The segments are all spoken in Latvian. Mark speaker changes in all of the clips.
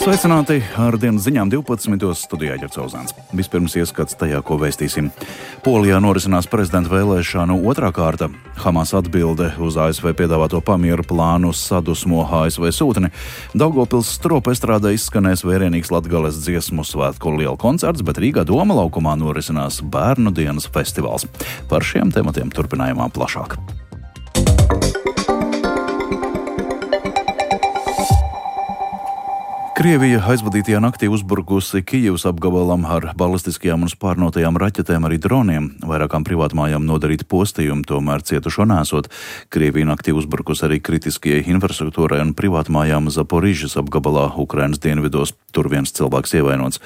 Speaker 1: Sveicināti ar dienas ziņām 12. studijā Ģercauzāns. Vispirms ieskats tajā, ko vēstīsim. Polijā norisinās prezidenta vēlēšanu otrā kārta. Hamas atbilde uz ASV piedāvāto pamieru plānu sadusmo ASV sūtni. Daugavpils stropa estrādē izskanēs vērienīgs Latgales dziesmu svētku liela koncerts, bet Rīgā Doma laukumā norisinās bērnu dienas festivāls. Par šiem tematiem turpinājumā plašāk. Krievija aizvadītajā naktī uzbrukusi Kijivas apgabalam ar balistiskajām un spārnotajām raķetēm, arī droniem. Vairākām privātmājām nodarīti postījumi, tomēr cietušo nesot. Krievija naktī uzbrukusi arī kritiskajai infrastruktūrai un privātmājām Zaporižas apgabalā Ukrainas dienvidos. Tur viens cilvēks ievainots.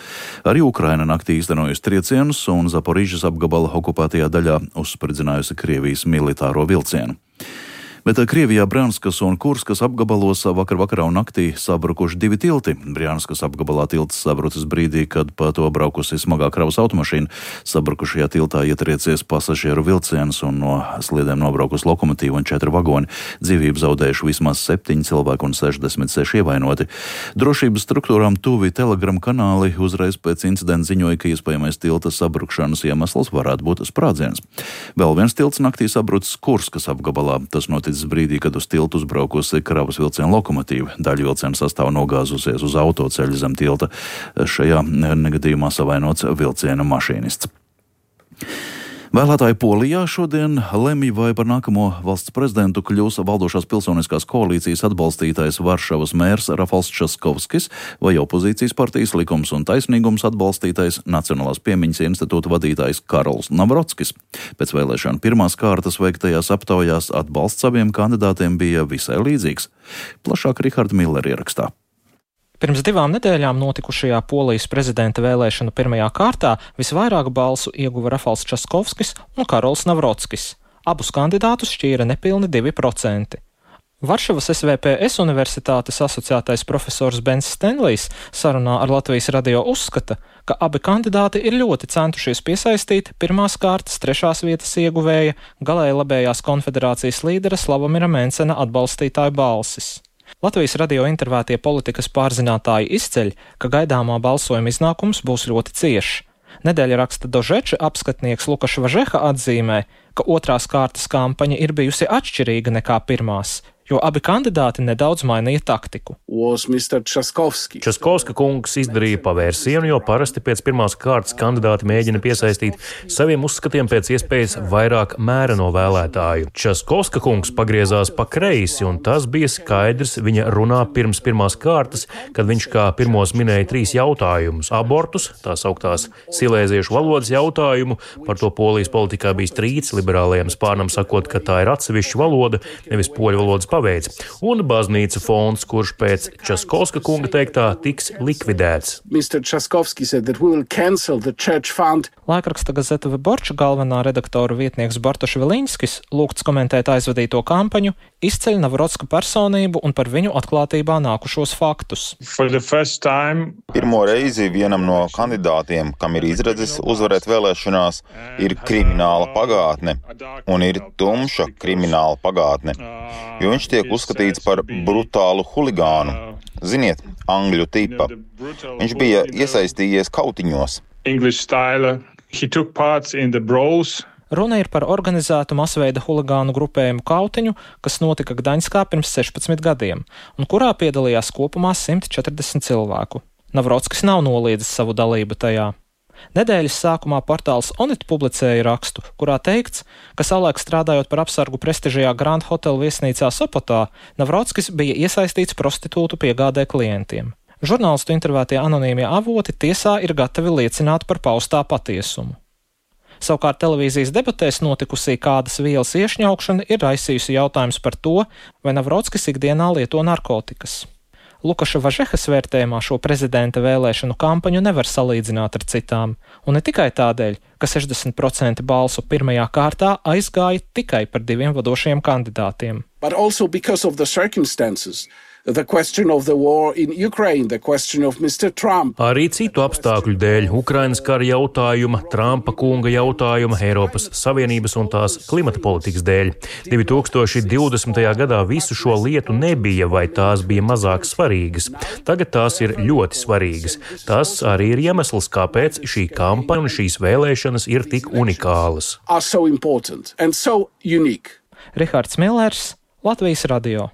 Speaker 1: Arī Ukraina naktī īstenojusi triecienus un Zaporižas apgabala okupētajā daļā uzspridzinājusi Krievijas militāro vilcienu. Bet Krievijā Brjanskas un Kurskas apgabalos vakarā un naktī sabrukuši divi tilti. Brjanskas apgabalā tilts sabrucis brīdī, kad pa to braukusi smagā kravas automašīna. Sabrukušajā tiltā ietriecies pasažieru vilciens un no sliedēm nobraukus lokomotīva un 4 vagoni. Dzīvību zaudējuši vismaz 7 cilvēki un 66 ievainoti. Drošības struktūrām tuvi Telegram kanāli uzreiz pēc incidenta ziņoja, ka iespējamais tilta sabrukšanas iemesls varētu būt sprādziens. Vēl viens tilts naktī sabrucis Kurskas apgabalā. Tas notic brīdī, kad uz tiltu uzbraukusi kravas vilciena lokomotīva. Daļa vilciena sastāv nogāzusies uz autoceļa zem tilta. Šajā negadījumā savainots vilciena mašīnists. Vēlētāji Polijā šodien lemj, vai par nākamo valsts prezidentu kļūs valdošās pilsoniskās koalīcijas atbalstītais Varšavas mērs Rafals Časkovskis vai opozīcijas partijas Likums un taisnīgums atbalstītais Nacionālās piemiņas institūta vadītājs Karols Navrockis. Pēc vēlēšanu pirmās kārtas veiktajās aptaujās atbalsts abiem kandidātiem bija visai līdzīgs. Plašāk Riharda Millera ierakstā.
Speaker 2: Pirms 2 nedēļām notikušajā Polijas prezidenta vēlēšanu pirmajā kārtā visvairāk balsu ieguva Rafals Časkovskis un Karols Navrockis. Abus kandidātus šķīra nepilni 2%. Varšavas SVPS universitātes asociētais profesors Bens Stenlijs sarunā ar Latvijas radio uzskata, ka abi kandidāti ir ļoti centušies piesaistīt pirmās kārtas 3. vietas ieguvēja galēji labējās konfederācijas līdera Slavomira Mencena atbalstītāju balsis. Latvijas radio intervētie politikas pārzinātāji izceļ, ka gaidāmā balsojuma iznākums būs ļoti ciešs. Nedēļa raksta Dožeča apskatnieks Lukaša Važeha atzīmē, ka otrās kārtas kampaņa ir bijusi atšķirīga nekā pirmās, jo abi kandidāti nedaudz mainīja taktiku.
Speaker 3: Časkovska kungs izdarīja pavērsienu, jo parasti pēc pirmās kārtas kandidāti mēģina piesaistīt saviem uzskatiem pēc iespējas vairāk mēreno vēlētāju. Časkovska kungs pagriezās pa kreisi, un tas bija skaidrs viņa runā pirms pirmās kārtas, kad viņš kā pirmos minēja 3 jautājumus - abortus, tās augtās silēziešu valodas jautājumu, par to Polijas politikā bija strīds, liberālajiem spārnam sakot, ka tā ir atsevišķa valoda, nevis poļu valodas paveids, un baznīca fonds, kurš pēc Časkovska kunga teiktā tiks likvidēts.
Speaker 2: Laikraksta Gazeta Vyborča galvenā redaktora vietnieks Bartoš Viļņskis lūgts komentēt aizvadīto kampaņu, izceļ Navrocka personību un par viņu atklātībā nākušos faktus.
Speaker 4: Pirmo reizi vienam no kandidātiem, kam ir izredzes uzvarēt vēlēšanās, ir krimināla pagātne, un ir tumša krimināla pagātne, jo viņš tiek uzskatīts par brutālu huligānu. Ziniet, angļu tipa. Viņš bija iesaistījies kautiņos.
Speaker 2: Runa ir par organizētu masveida huligānu grupējumu kautiņu, kas notika Gdaņskā pirms 16 gadiem, un kurā piedalījās kopumā 140 cilvēku. Navrockis nav noliedzis savu dalību tajā. Nedēļas sākumā portāls Onet publicēja rakstu, kurā teikts, ka savulaik strādājot par apsargu prestižajā Grand Hotel viesnīcā Sopotā, Navrockis bija iesaistīts prostitūtu piegādē klientiem. Žurnālistu intervētie anonīmie avoti tiesā ir gatavi liecināt par paustā patiesumu. Savukārt televīzijas debatēs notikusī kādas vielas iešņaukšana ir raisījusi jautājums par to, vai Navrockis ikdienā lieto narkotikas. Lukaša Važehas vērtējumā šo prezidenta vēlēšanu kampaņu nevar salīdzināt ar citām, un ne tikai tādēļ, ka 60% balsu pirmajā kārtā aizgāja tikai par 2 vadošajiem kandidātiem.
Speaker 5: but also because of the circumstances. The question of the war in Ukraine, the question of Mr. Trump.
Speaker 3: Arī citu apstākļu dēļ - Ukrainas kara jautājuma, Trumpa kunga jautājuma, Eiropas Savienības un tās klimata politikas dēļ. 2020. gadā visu šo lietu nebija vai tās bija mazāk svarīgas. Tagad tās ir ļoti svarīgas. Tas arī ir iemesls, kāpēc šī kampaņa un šīs vēlēšanas ir tik unikālas.
Speaker 5: So important and so unique.
Speaker 2: Rihards Millers, Latvijas radio.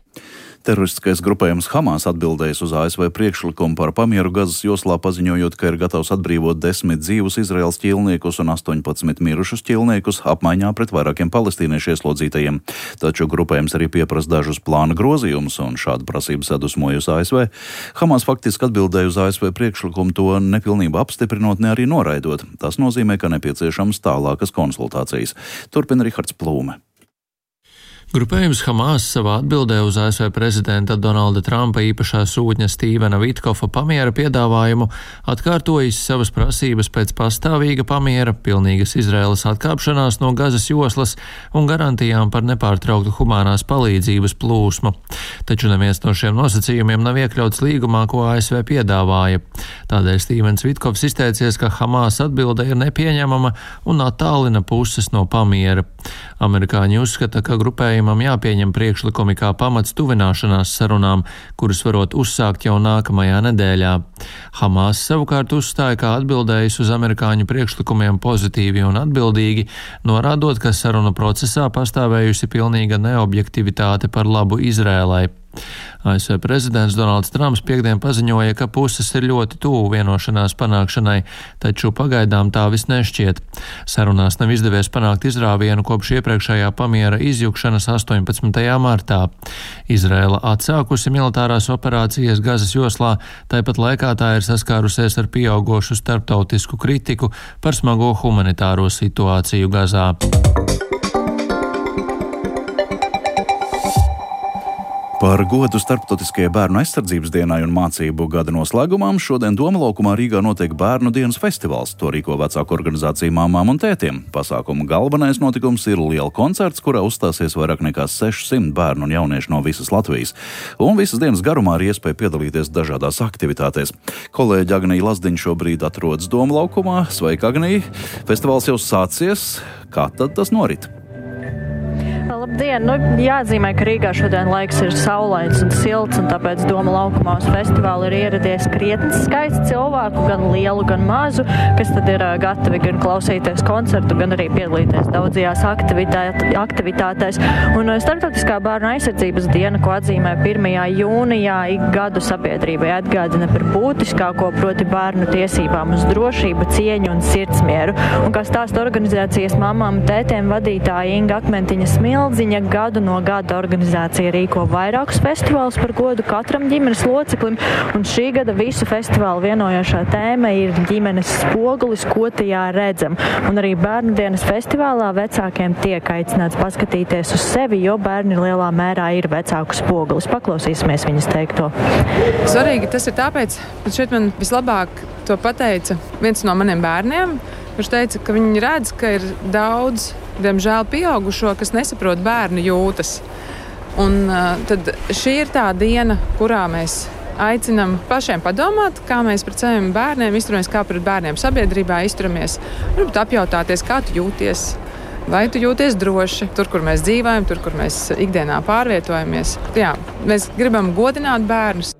Speaker 1: Teroristiskais grupējums Hamas atbildējis uz ASV priekšlikumu par pamieru Gazas joslā, paziņojot, ka ir gatavs atbrīvot 10 dzīvus Izraēlas ķīlniekus un 18 mirušus ķīlniekus apmaiņā pret vairākiem palestīniešu ieslodzītajiem. Taču grupējums arī pieprasa dažus plāna grozījumus, un šāda prasība sadusmojusi ASV. Hamas faktiski atbildēja uz ASV priekšlikumu, to nepilnībā apstiprinot, ne arī noraidot. Tas nozīmē, ka nepieciešams tālākas konsultācijas. Turpina Rihards Plūme.
Speaker 6: Grupējums Hamas savā atbildē uz ASV prezidenta Donalda Trumpa īpašā sūtņa Stīvena Vitkofa pamiera piedāvājumu atkārtojis savas prasības pēc pastāvīga pamiera, pilnīgas Izraēlas atkāpšanās no Gazas joslas un garantijām par nepārtrauktu humanās palīdzības plūsmu. Taču neviens no šiem nosacījumiem nav iekļauts līgumā, ko ASV piedāvāja. Tādēļ Stīvens Vitkovs izteicies, ka Hamas atbilde ir nepieņemama un attālina puses no pamiera. Amerikāņi uzskata, ka grupējumam jāpieņem priekšlikumi kā pamats tuvināšanās sarunām, kuras varot uzsākt jau nākamajā nedēļā. Hamas savukārt uzstāja, kā atbildējis uz amerikāņu priekšlikumiem pozitīvi un atbildīgi, norādot, ka sarunu procesā pastāvējusi pilnīga neobjektivitāte par labu Izrēlai. ASV prezidents Donalds Trumps piekdien paziņoja, ka puses ir ļoti tuvu vienošanās panākšanai, taču pagaidām tā vis nešķiet. Sarunās nav izdevies panākt izrāvienu kopš iepriekšējā pamiera izjukšanas 18. martā. Izraēla atsākusi militārās operācijas Gazas joslā, tāpat laikā tā ir saskārusies ar pieaugošu starptautisku kritiku par smago humanitāro situāciju Gazā.
Speaker 1: Par godu Starptautiskajai bērnu aizsardzības dienai un mācību gada noslēgumām šodien Doma laukumā Rīgā notiek Bērnu dienas festivāls. To rīko vecāku organizāciju Māmām un tētiem. Pasākuma galvenais notikums ir liela koncerts, kurā uzstāsies vairāk nekā 600 bērnu un jauniešu no visas Latvijas. Un visas dienas garumā ir iespēja piedalīties dažādās aktivitātēs. Kolēģi Agnija Lazdiņa šobrīd atrodas Doma laukumā. Sveika, Agnija! Festivāls jau sācies. Kā tad tas norit?
Speaker 7: Labdien! Jāatzīmē, ka Rīgā šodien laiks ir saulains un silts, un tāpēc Doma laukumā uz festivālu ir ieradies krietni skaists cilvēku, gan lielu, gan mazu, kas tad ir gatavi gan klausīties koncertu, gan arī piedalīties daudzajās aktivitātēs. Un Starptautiskā bērnu aizsardzības diena, ko atzīmē 1. jūnijā, ik gadu sabiedrībai atgādina par būtiskāko, proti bērnu tiesībām uz drošību, cieņu un sirdsmieru. Un kā stāsta organizācijas Māmām un tētiem vadītāja Inga Akmentiņa Smildziņa, gadu no gada organizācija rīko vairākus festivālus par godu katram ģimenes loceklim, un šī gada visu festivālu vienojošā tēma ir ģimenes spogulis, ko tajā redzam. Un arī Bērnu dienas festivālā vecākiem tiek aicināts paskatīties uz sevi, jo bērni lielā mērā ir vecāku spogulis. Paklausīsimies viņas teikto.
Speaker 8: Svarīgi tas ir tāpēc, ka šeit man vislabāk to pateica viens no maniem bērniem, kurš teica, ka viņi redz, ka ir daudz, diemžēl, pieaugušo, kas nesaprot bērnu jūtas. Un tad šī ir tā diena, kurā mēs aicinam pašiem padomāt, kā mēs pret saviem bērniem izturamies, kā pret bērniem sabiedrībā izturamies. Varbūt apjautāties, kā tu jūties, vai tu jūties droši tur, kur mēs dzīvojam, tur, kur mēs ikdienā pārvietojamies. Jā, mēs gribam godināt bērnus.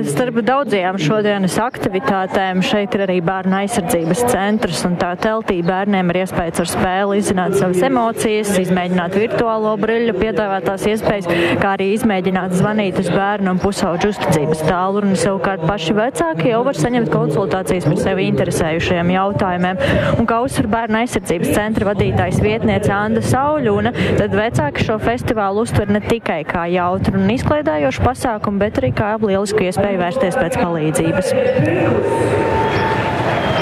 Speaker 7: Starp daudzajām šodienas aktivitātēm šeit ir arī bērnu aizsardzības centrs, un tā teltī bērniem ir iespējas ar spēli izzināt savas emocijas, izmēģināt virtuālo briļu, piedāvātās iespējas, kā arī izmēģināt zvanīt uz bērnu un pusauģu uzticības tālruni. Savukārt paši vecāki jau var saņemt konsultācijas par sevi interesējušajiem jautājumiem. Un kā uzsver bērnu aizsardzības centra vadītājs vietniece Anda Sauļuna, tad vecāki šo festivālu uztver ne tikai kā jautru un izklaidējošu pasākumu, bet arī kā lielisku iespēju vērsties pēc palīdzības.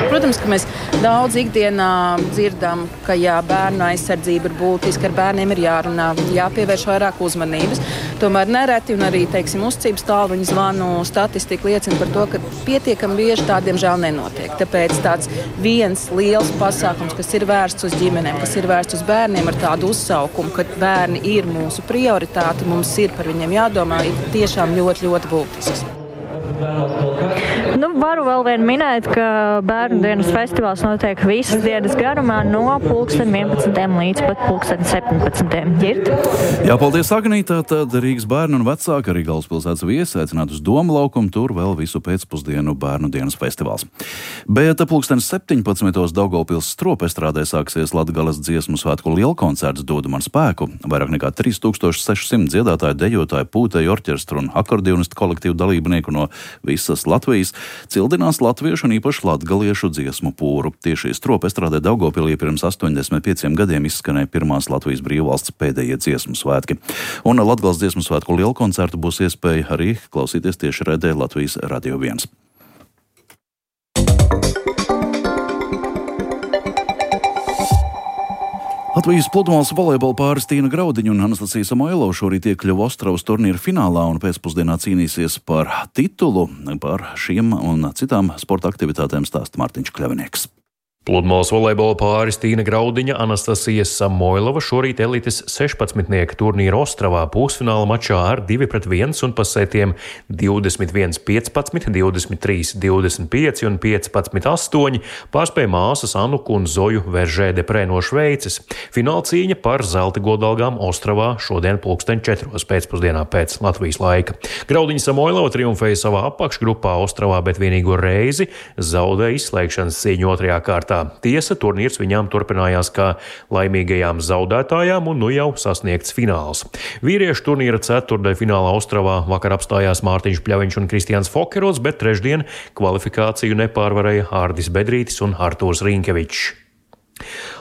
Speaker 9: Protams, ka mēs daudz ikdienā dzirdam, ka bērnu aizsardzība ir būtiska, ar bērniem ir jārunā, jāpievērš vairāk uzmanības. Tomēr nereti un arī, uzcības tālruņa zvanu statistika liecina par to, ka pietiekami bieži tā, diemžēl, nenotiek. Tāpēc tāds viens liels pasākums, kas ir vērsts uz ģimenēm, kas ir vērsts uz bērniem ar tādu uzsaukumu, ka bērni ir mūsu prioritāte, mums ir par viņiem jādomā, ir tiešām ļoti, ļoti būtisks.
Speaker 7: Varu vēl vien minēt, ka Bērnu dienas festivāls notiek visas dienas garumā no 11. līdz pat 17. Ģirt.
Speaker 1: Jā, paldies, Agnītā. Tad Rīgas bērnu un vecāki, arī Galvaspilsētas viesi aicināt uz Doma laukumu, tur vēl visu pēcpusdienu Bērnu dienas festivāls. Bet 17. Daugavpils Stropestrādē sāksies Latgales dziesmu svētku lielkoncerts Dod man spēku. Vairāk nekā 3600 dziedātāju, dejotāju, pūtēju orķestru un akordeonistu kolektīvu dalībnieku no visas Latvijas cildinās latviešu un īpaši latgaliešu dziesmu pūru. Tieši Stropestrādē Daugavpilī pirms 85 gadiem izskanēja pirmās Latvijas brīvvalsts pēdējie dziesmu svētki. Un Latgales dziesmu svētku lielkoncertu būs iespēja arī klausīties tieši raidē Latvijas Radio 1. Latvijas pludmales volejbola pāris Tīna Graudiņa un Anastasija Samoilova šorīt iekļuva Ostravas turnīra finālā un pēcpusdienā cīnīsies par titulu. Par šiem un citām sporta aktivitātēm stāsta Mārtiņš Kļavinieks.
Speaker 3: Pludmales volejbola pāris Tīna Graudiņa, Anastasija Samoilova šorīt elites 16. turnīra Ostravā pusfināla mačā ar 2-1 un pa setiem 21-15, 23-25 un 15-8 pārspēja māsas Anuku un Zoju Veržē-Deprē no Šveices. Fināla cīņa par zelta godalgām Ostravā šodien 4:00 pēcpusdienā pēc Latvijas laika. Graudiņa Samoilova triumfēja savā apakšgrupā Ostravā, bet vienīgo reizi zaudēja izslēgšanas cīņu otrajā kārtā. Tiesa, turnīrs viņām turpinājās kā laimīgajām zaudētājām un nu jau sasniegts fināls. Vīriešu turnīra ceturtdaļa finālā Ostravā vakar apstājās Mārtiņš Pļaviņš un Kristiāns Fokerots, bet trešdien kvalifikāciju nepārvarēja Hārdis Bedrītis un Artūrs Rinkevičs.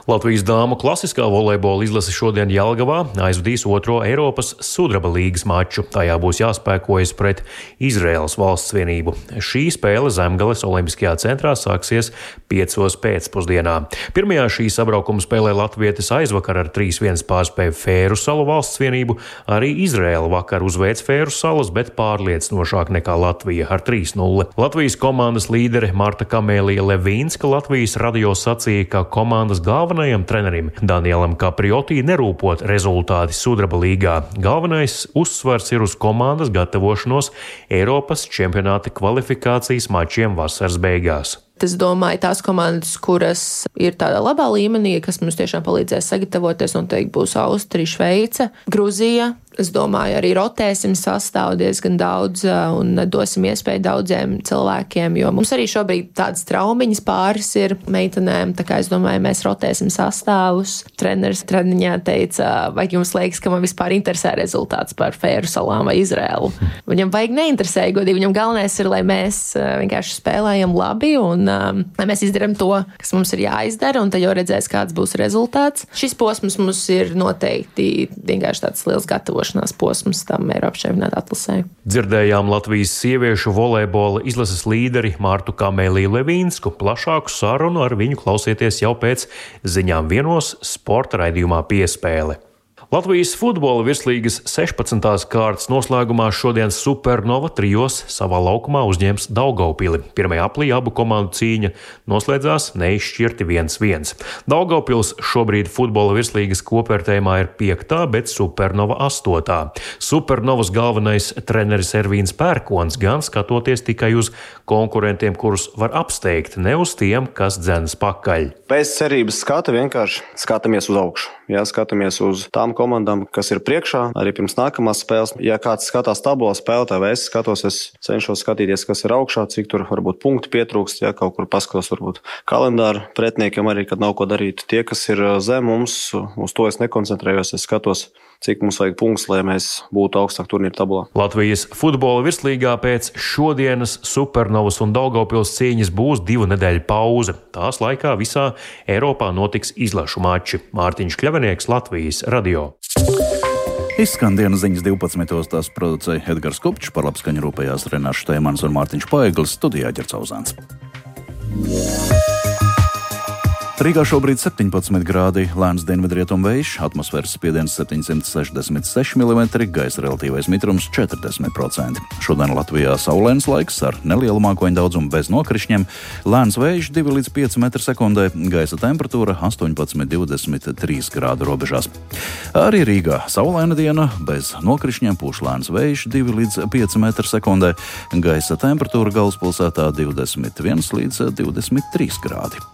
Speaker 3: Latvijas dāmu klasiskā volejbola izlase šodien Jelgavā aizvadīs otro Eiropas sudraba līgas maču. Tajā būs jāspēkojas pret Izraēlas valsts vienību. Šī spēle Zemgales olimpiskajā centrā sāksies 5:00 pēcpusdienā. Pirmajā šī sabraukuma spēlē latvietis aizvakar ar 3:1 pārspēja Fēru salu valsts vienību. Arī Izraēla vakar uzveic Fēru salas, bet pārliecinošāk nekā Latvija ar 3:0. Latvijas komandas līdere Marta Kamēlija Levīnska Latvijas radio sacīja, ka komandas galvenajam trenerim Danielam Kapriotī nerūpot rezultāti sudraba līgā. Galvenais uzsvars ir uz komandas gatavošanos Eiropas čempionāta kvalifikācijas mačiem vasaras beigās.
Speaker 10: Es domāju, tās komandas, kuras ir tādā labā līmenī, kas mums tiešām palīdzēs sagatavoties, noteikti būs Austrija, Šveice, Gruzija. Es domāju, arī rotēsim sastāvu diezgan daudz un dosim iespēju daudziem cilvēkiem, jo mums arī šobrīd tādas traumiņas pāris ir meitenēm, tā kā es domāju, mēs rotēsim sastāvus. Treneris treniņā teica, vai jums liekas, ka man vispār interesē rezultāts par Fēru salām vai Izraēlu. Viņam vajag neinteresē, godīgi, viņam galvenais ir, lai mēs vienkārši spēlējam labi un lai mēs izdarām to, kas mums ir jāizdara, un tad jau redzēs, kāds būs rezultāts. Šis posms mums ir noteikti vienkārši tāds liels gatavošanās posms tam Eiropas čempionāta atlasē.
Speaker 3: Dzirdējām Latvijas sieviešu volejbola izlases līderi Martu Kamēliju Levīnsku. Plašāku sarunu ar viņu klausieties jau pēc ziņām vienos sporta raidījumā Piespēle. Latvijas futbola virslīgas 16. kārtas noslēgumā šodien Supernova trijos savā laukumā uzņems Daugavpili. Pirmajā aplī abu komandu cīņa noslēdzās neizšķirti 1-1. Daugavpils šobrīd futbola virslīgas kopvērtējumā ir 5., bet Supernova 8. Supernovas galvenais treneris Ervīns Pērkons gan skatoties tikai uz konkurentiem, kurus var apsteigt, ne uz tiem, kas dzenas pakaļ.
Speaker 11: Bez cerības skata vienkārši skatāmies uz augšu. Jā, skatāmies uz tām komandām, kas ir priekšā, arī pirms nākamās spēles. Ja kāds skatās tabulā spēlētāji, vai es skatos, es cenšos skatīties, kas ir augšā, cik tur varbūt punkti pietrūkst, ja kaut kur paskatos varbūt kalendāru pretniekiem arī, kad nav ko darīt. Tie, kas ir zem mums, uz to es nekoncentrējos, es skatos, cik mums vajag punktus, lai mēs būtu augstāk turnīra tabulā.
Speaker 3: Latvijas futbola virslīgā pēc šodienas Supernovas un Daugavpils cīņas būs 2 nedēļu pauze. Tās laikā visā Eiropā notiks izlašu mači. Mārtiņš Kļavinieks, Latvijas radio.
Speaker 1: Izskan dienas ziņas 12. Tās producēja Edgars Kupčs, par labskaņu rūpējās Renārs Šteimans un Mārtiņš Paeglis, studijā Ģercauzāns. Rīgā šobrīd 17 grādi, lēns dienvidrietumu vējš, atmosfēras spiediens 766 mm, gaisa relatīvais mitrums 40%. Šodien Latvijā saulains laiks ar nelielu mākoņu daudzumu bez nokrišņiem, lēns vējš 2 līdz 5 m/sekundē, gaisa temperatūra 18–23 grādu robežās. Arī Rīgā saulaina diena, bez nokrišņiem pūš lēns vējš 2 līdz 5 m/sekundē, gaisa temperatūra galvaspilsētā 21 līdz 23 grādi.